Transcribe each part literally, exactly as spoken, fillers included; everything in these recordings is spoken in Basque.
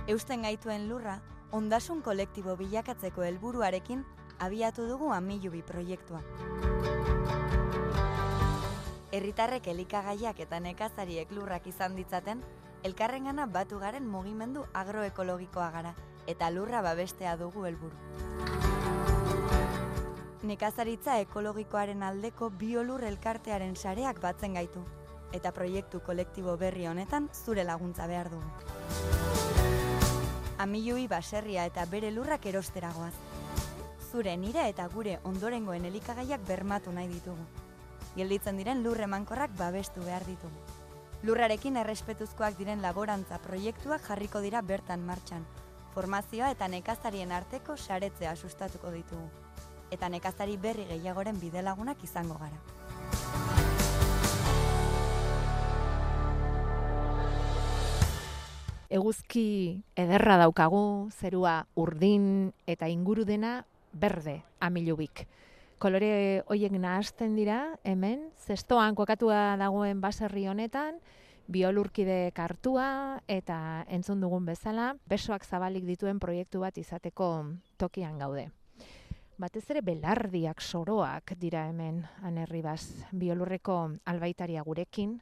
Eusten gaituen lurra, ondasun kolektibo bilakatzeko helburuarekin abiatu dugu Amilubi proiektua. Herritarrek elikagaiak eta nekazariek lurrak izan ditzaten, elkarrengana batu garen mugimendu agroekologikoa gara, eta lurra babestea dugu helburu. Nekazaritza ekologikoaren aldeko biolur elkartearen sareak batzen gaitu, eta proiektu kolektibo berri honetan zure laguntza behar dugu. Amilubi baserria eta bere lurrak erosteragoaz. Zure, nire eta gure ondorengoen elikagaiak bermatu nahi ditugu. Gelditzen diren lur emankorrak babestu behar ditugu. Lurrarekin errespetuzkoak diren laborantza proiektuak jarriko dira bertan martxan. Formazioa eta nekazarien arteko saretzea sustatuko ditugu. Eta nekazari berri gehiagoren bidelagunak izango gara. Eguzki ederra daukagu, zerua urdin eta inguru dena berde Amilubik. Kolore hoiek nahasten dira, hemen, zestoan kokatua dagoen baserri honetan, biolurkide kartua eta entzun dugun bezala, besoak zabalik dituen proiektu bat izateko tokian gaude. Batez ere belardiak, soroak dira hemen, Anerribaz, biolurreko albaitaria gurekin,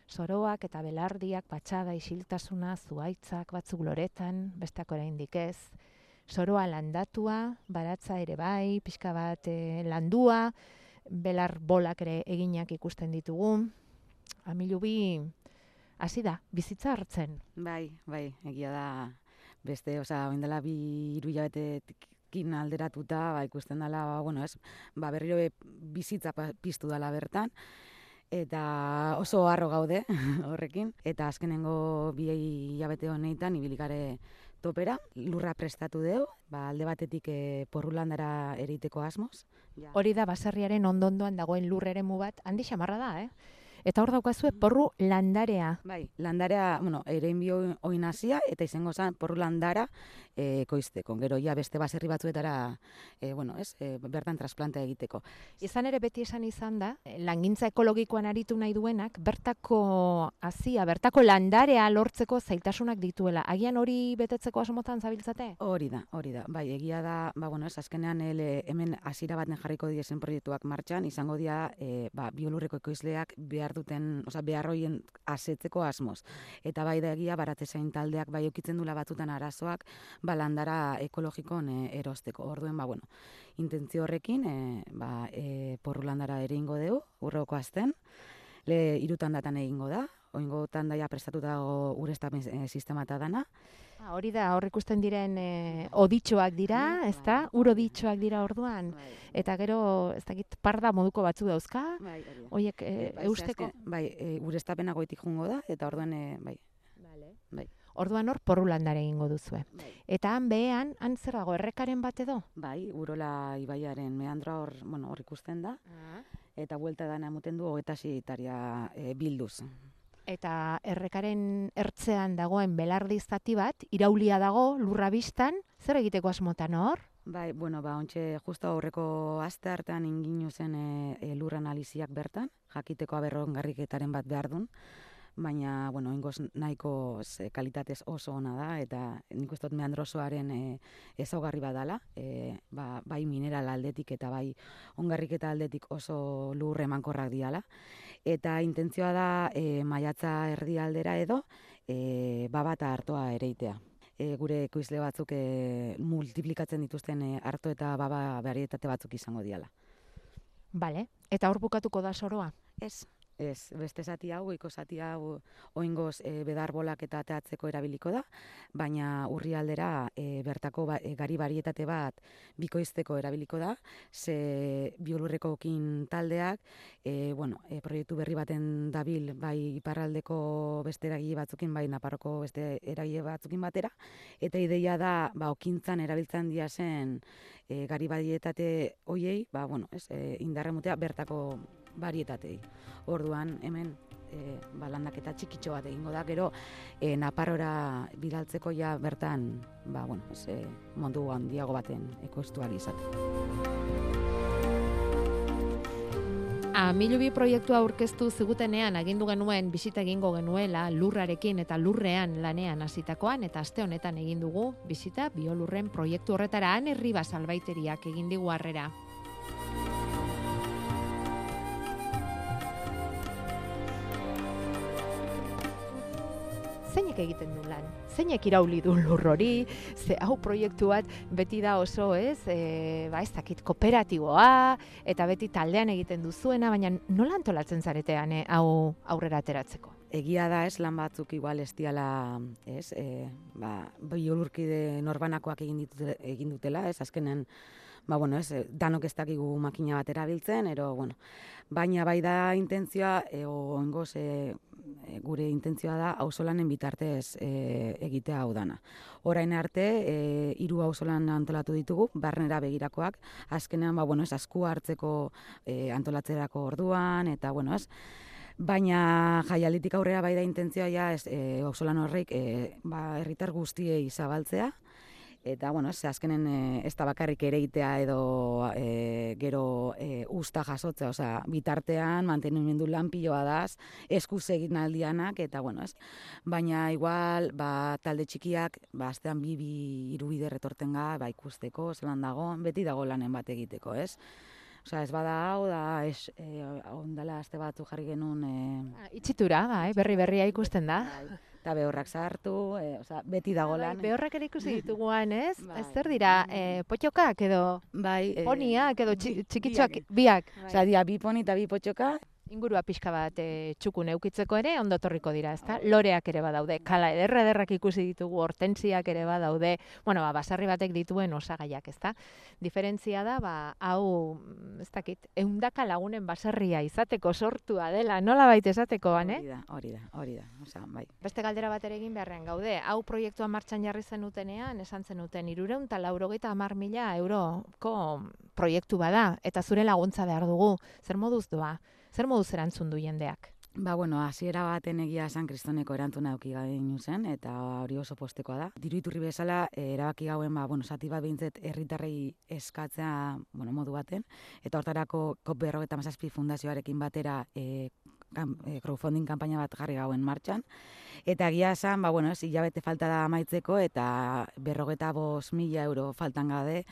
soroak eta belardiak, patxada, isiltasuna, zuaitzak, batzuk loretan, besteak oraindik ez, soroa landatua, baratza ere bai, pixka bat e, landua, belar bolak ere eginak ikusten ditugu. Amilubi hasi da, bizitza hartzen. Bai, bai, egia da beste, osea, orain dela bi hiru hilabetekin alderatuta, ba, ikusten dela, ba, bueno, ez, ba, berriro bizitza piztu dela bertan, eta oso harro gaude horrekin, eta azkenengo bi hilabete honetan ibilikare topera, lurra prestatu dugu, ba, alde batetik e, porrulandara ereiteko asmoz. Ja. Hori da baserriaren ondondoan dagoen lur eremu bat, handi xamarra da, eh? Eta hor daukazue porru landarea. Bai, landarea, bueno, erein bio oinazia, eta izango zen porru landara e, koizteko. Gero, ja, beste baserri batzuetara, e, bueno, ez, e, bertan trasplanta egiteko. Izan ere beti esan izan da, langintza ekologikoan aritu nahi duenak, bertako hazia, bertako landarea lortzeko zailtasunak dituela. Agian hori betetzeko asmotan zabiltzate? Hori da, hori da. Bai, egia da, ba, bueno, ez, azkenean ele, hemen hasiera baten jarriko diezen proiektuak martxan, izango dira, e, ba, biolurreko ekoizleak behar duten, osea, beharroien asetzeko asmoz. Eta bai da egia, baratzezain taldeak bai eukitzen dula batutan arazoak, ba, landara ekologikon e, erosteko. Orduen, ba, bueno, intentzio horrekin, e, ba, e, porru landara ere ingo dugu, urroko azten, le irutan datan egingo da, oingo tandaia prestatuta dago ureztapen e, sistema eta dana. Ah, hori da, hor ikusten diren e, oditxoak dira, ez da? Ur oditxoak dira orduan. Bai. Eta gero, ez dakit, parda moduko batzu dauzka, Bai, hori da. horiek e, bai, eusteko. azken- Bai, e, ureztapena goitik jungo da, eta orduan, e, bai, Vale. bai. Orduan hor porru landare egingo duzue. Bai. Eta han behean, han zer dago, errekaren bat edo? Bai, Urola ibaiaren meandroa hor, bueno, hor ikusten da, eta buelta dana emuten du hogeita sei hektaria e, bilduz. Eta errekaren ertzean dagoen belardi zati bat, iraulia dago, lurra biztan, zer egiteko asmotan hor? Bai, bueno, ba, ontxe, justo aurreko aste hartan inginu zen e, e, lur analiziak bertan, jakiteko aberrongarriketaren bat behar dun, baina, bueno, ingoz nahiko ze, kalitatez oso ona da, eta nik uste dut meandrosoaren e, ezaugarri badala, e, ba, bai mineral aldetik eta bai ongarriketa aldetik oso lur emankorrak diala. Eta intentzioa da e, maiatza erdialdera edo e, babata hartoa ereitea. E, gure ekoizle batzuk e, multiplikatzen dituzten e, arto eta baba barietate batzuk izango diala. Bale, eta hor bukatuko da soroa? Ez. Ez, beste zati hau, goiko zati hau oingoz e, bedarbolak eta teatzeko erabiliko da, baina urrialdera e, bertako ba, e, gari barietate bat bikoizteko erabiliko da, ze biolurrekokin taldeak, e, bueno, e, proiektu berri baten dabil, bai iparraldeko beste eragile batzukin, bai Naparroko beste eragile batzukin batera, eta ideia da, ba, okintzan erabiltzen dia zen e, gari barietate hoiei, ba, bueno, ez, e, indarremutea bertako barietatei. Orduan, hemen, e, ba, landaketa txikitxo bat egingo da, gero e, Naparrora bidaltzeko ja bertan, ba, bueno, ez, e, mundu handiago baten ekoiztu ahal izateko. Amilubi proiektua aurkeztu zigutenean agindu genuen bisita egingo genuela lurrarekin eta lurrean lanean hasitakoan eta aste honetan egin dugu bisita biolurren proiektu horretara. Ane Ribas albaiteriak egin digu harrera. Zeinek egiten du lan? Zeinek irauli du lur hori? Ze hau proiektu bat beti da oso, ez? E, ba, ez dakit kooperatiboa eta beti taldean egiten duzuena, baina nola antolatzen zaretean eh, hau aurrera ateratzeko? Egia da, ez, lan batzuk igual ez diala, ez, e, ba, biolurkide norbanakoak egin, ditute, egin dutela, ez, azkenen, ba, bueno, ez, danok ez dakigu makina bat erabiltzen, ero, bueno, baina bai da intentzioa, e, oengoz, e, gure intentzioa da auzolanen bitartez e, egitea hau dana. Orain arte, e, hiru auzolan antolatu ditugu, barnera begirakoak, azkenean, ba, bueno, ez, asku hartzeko e, antolatzerako orduan, eta, bueno, ez, baina jaialditik aurrera bai da intentzioa ja ez, e, auzolan horrek e, ba, herritar guztiei zabaltzea, eta, bueno, ez, azkenen e, ez da bakarrik ereitea edo e, gero e, usta jasotzea, osea, bitartean mantenimendu lan piloa daz, eskuz egin aldianak, eta, bueno, ez, baina igual, ba, talde txikiak, ba, astean bi, bi, hiru bider etorten ga, ba, ikusteko, zelan dago, beti dago lanen bat egiteko, ez? Osea, ez bada hau, da, ez, e, ondala aste batzu jarri genuen... E, Itxitura, bai, berri-berria ikusten da. Eta behorrak sartu, e, osea, beti dago lan. Bai, behorrak ere ikusi dituguan, ez? Bai. Ez zer dira, e, potxokak edo bai, e, poniak edo txi, txikitsuak, biak. Bai. Osea, dira, bi poni eta bi potxoka. Ingurua pixka bat e, txukun eukitzeko ere ondo torriko dira, ezta? Loreak ere badaude, kala ederra ederrak ikusi ditugu, hortensiak ere badaude, bueno, ba, basarri batek dituen osagaiak, ezta? Diferentzia da, ba, hau, ez dakit, ehundaka lagunen basarria izateko sortua dela, nola baita esateko, ane? Hori da, hori da, hori da, osea, bai. Beste galdera bat ere egin beharrean gaude, hau proiektua martxan jarri zenutenean, esan zenuten, hirurehun eta laurogeita hamar mila euroko proiektu bada, eta zure laguntza behar dugu, zer moduz doa? Zer moduz erantzun du jendeak? Ba, bueno, hasiera baten egia San Kristoneko erantzuna eduki gainu zen, eta hori oso postekoa da. Diru iturri bezala, e, erabaki gauen, ba, bueno, zati bat behintzet herritarrei eskatzea, bueno, modu baten, eta hortarako kop berrogeita hamazazpi fundazioarekin batera e, kan, e, crowdfunding kanpaina bat jarri gauen martxan, eta egia esan, ba, bueno, ez, hilabete falta da amaitzeko, eta berrogeita bost mila euro faltan gade,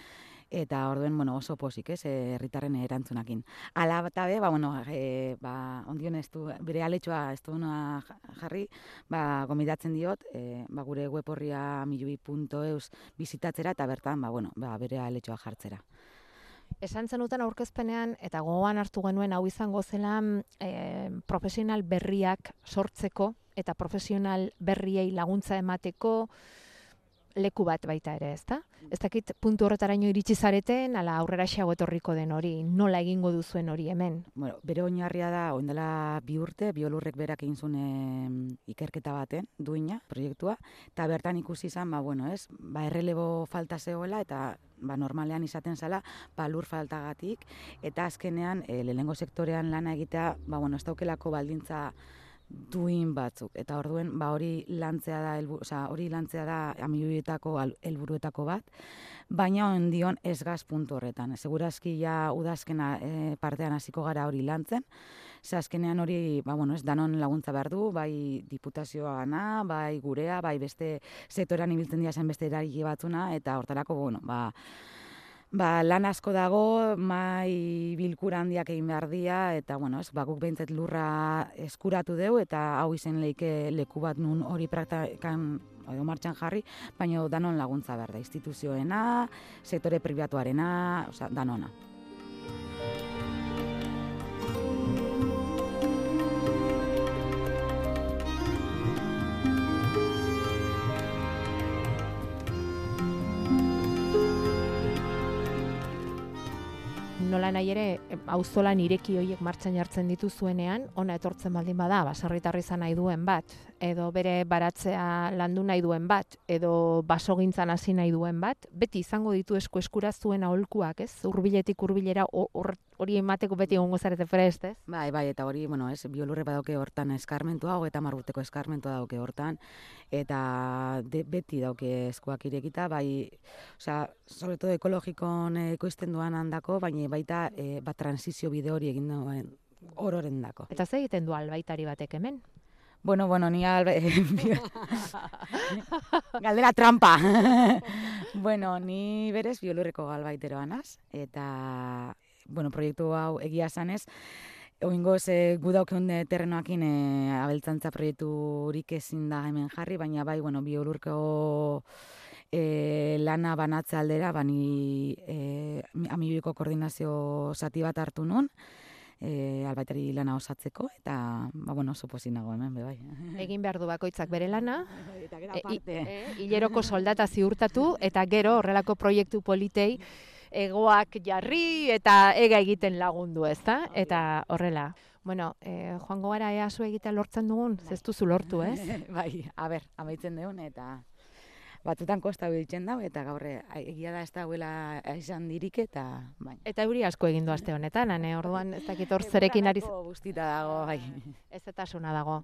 eta orduen, bueno, oso posik, ez, herritarren erantzunakin. Ala eta be, ba, bueno, e, ba, ondion ez du, bere aletxoa ez du jarri, ba, gomidatzen diot, e, ba, gure web horria amilubi puntu eus bizitatzera, eta bertan, ba, bueno, ba, bere aletxoa jartzera. Esan zenuten aurkezpenean, eta gogoan hartu genuen hau izango zela, e, profesional berriak sortzeko, eta profesional berriei laguntza emateko, leku bat baita ere, ezta? Ez dakit puntu horretaraino iritsi zareten, ala aurrera xago etorriko den hori, nola egingo duzuen hori hemen? Bueno, bere oinarria da, oindela bi urte, biolurrek berak egin zuen e, ikerketa baten, duina, proiektua, eta bertan ikusi izan, ba, bueno, ez, ba, errelebo falta zegoela, eta ba, normalean izaten zala, ba, lur faltagatik, eta azkenean, e, lehenengo sektorean lana egitea, ba, bueno, ez daukelako baldintza duin batzuk, eta orduen ba hori lantzea da, elbu, oza, hori lantzea da amilubietako helburuetako bat, baina ondion ez gaz puntu horretan. Segurazki ja udazkena e, partean hasiko gara hori lantzen, ze azkenean hori, ba, bueno, ez danon laguntza behar du, bai diputazioana, bai gurea, bai beste sektorean ibiltzen dira zen beste eragile batzuna, eta hortarako, bueno, ba, Ba, lan asko dago, mai bilkura handiak egin behar dira, eta, bueno, ez, ba, guk behintzet lurra eskuratu deu, eta hau izen leike leku bat nun hori praktikan edo martxan jarri, baina danon laguntza behar da, instituzioena, sektore pribatuarena, osea, danona. Nola nahi ere, auzolan ireki horiek martxan jartzen dituzuenean, ona etortzen baldin bada, baserritarra izan nahi duen bat, edo bere baratzea landu nahi duen bat, edo basogintzan hasi nahi duen bat, beti izango ditu esku eskura zuen aholkuak, ez? Hurbiletik hurbilera hori emateko beti egongo zarete prest, ez? Bai, bai, eta hori, bueno, ez, biolurre badauke hortan eskarmentua, hogeita hamar urteko eskarmentua dauke hortan, eta de, beti dauke eskuak irekita, bai, osea, sobre todo ekologikon ekoizten duan handako, baina baita e, bat transizio bide hori egin duen ororen dako. Eta ze egiten du albaitari batek hemen? Bueno, bueno, ni alba... Galdera trampa! Bueno, ni berez biolurreko albaiteroa naz, eta, bueno, proiektu hau egia zanez, oingoz e, gu daukeun terrenoakin e, abeltzantza proiekturik ezin da hemen jarri, baina bai, bueno, biolurko e, lana banatze aldera, bani e, amibiko koordinazio zati bat hartu nun, e, albaitari lana osatzeko, eta, ba, bueno, oso pozik nago hemen, be bai. Egin behar du bakoitzak bere lana, Eta gero e, aparte. e, hileroko soldata ziurtatu, eta gero horrelako proiektu politei egoak jarri eta ega egiten lagundu, ezta? Eta horrela. Bueno, eh, joango gara ea zu egitea lortzen dugun, ez duzu lortu, ez? Bai, a ber, amaitzen deun, eta batzutan kosta biltzen dau, eta gaur egia da ez dagoela izan dirik, eta bai. Eta euri asko egin du aste honetan, ane, orduan ez dakit hor zerekin ari... Egurrarako guztita dago, bai. Ez etasuna dago.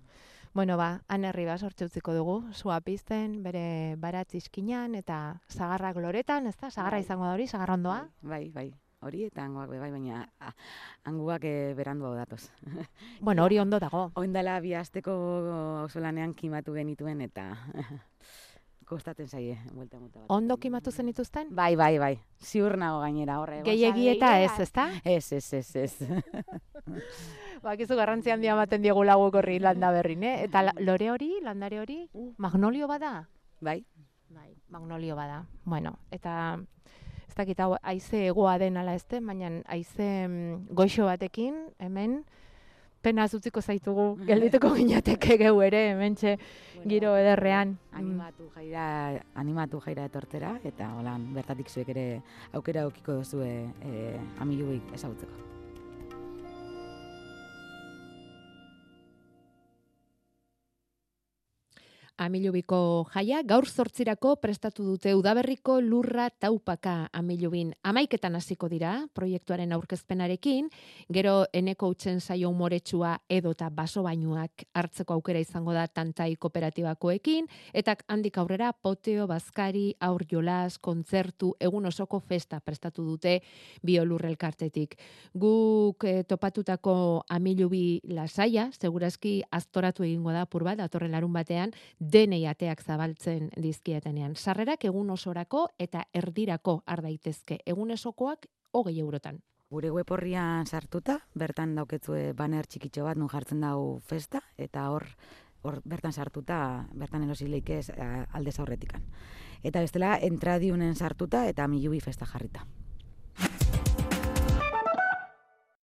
Bueno, ba, Ane Ribas hortxe utziko dugu, sua pizten, bere baratz iskinan, eta sagarrak loretan, ez da? Sagarra izango da hori, sagarra ondoa? Bai, bai, hori eta hangoak be bai, baina ah, hanguak e, berandu hau datoz. Bueno, hori ondo dago. Oindala bi asteko auzolanean kimatu genituen, eta kostatzen zaie, buelta muta bat. Ondo kimatu zen dituzten? Bai, bai, bai, ziur nago gainera, horre. Gehiegi eta ez, ez da? Ez, ez, ez, ez. Bakizu garrantzi handia ematen diegu laguk horri landa berrin, eh? Eta la, lore hori, landare hori, magnolio bada? Bai. Bai, magnolio bada. Bueno, eta ez dakit hau haize egoa den ala ezte, baina haize mm, goixo batekin, hemen, pena utziko zaitugu, geldituko ginateke geu ere, hementxe giro ederrean. Animatu jaira, animatu jaira etortera, eta holan bertatik zuek ere aukera aukiko duzue e, amiluik ezagutzeko. Amilubiko jaia gaur zortzirako prestatu dute udaberriko lurra taupaka Amilubin. Hamaiketan hasiko dira proiektuaren aurkezpenarekin, gero eneko utzen zaio umoretsua edota baso bainuak hartzeko aukera izango da Tantai kooperatibakoekin, eta handik aurrera poteo, bazkari, aur jolas, kontzertu, egun osoko festa prestatu dute biolur elkartetik. Guk eh, topatutako Amilubi lasaia, segurazki aztoratu egingo da apur bat, datorren larun batean, denei ateak zabaltzen dizkietenean. Sarrerak egun osorako eta erdirako har daitezke. Egun esokoak hogei eurotan. Gure web horrian sartuta, bertan dauketzue banner txikitxo bat nun jartzen dau festa, eta hor hor bertan sartuta, bertan erosileik ez aldez aurretikan. Eta bestela, entradiunen sartuta eta Amilubi festa jarrita.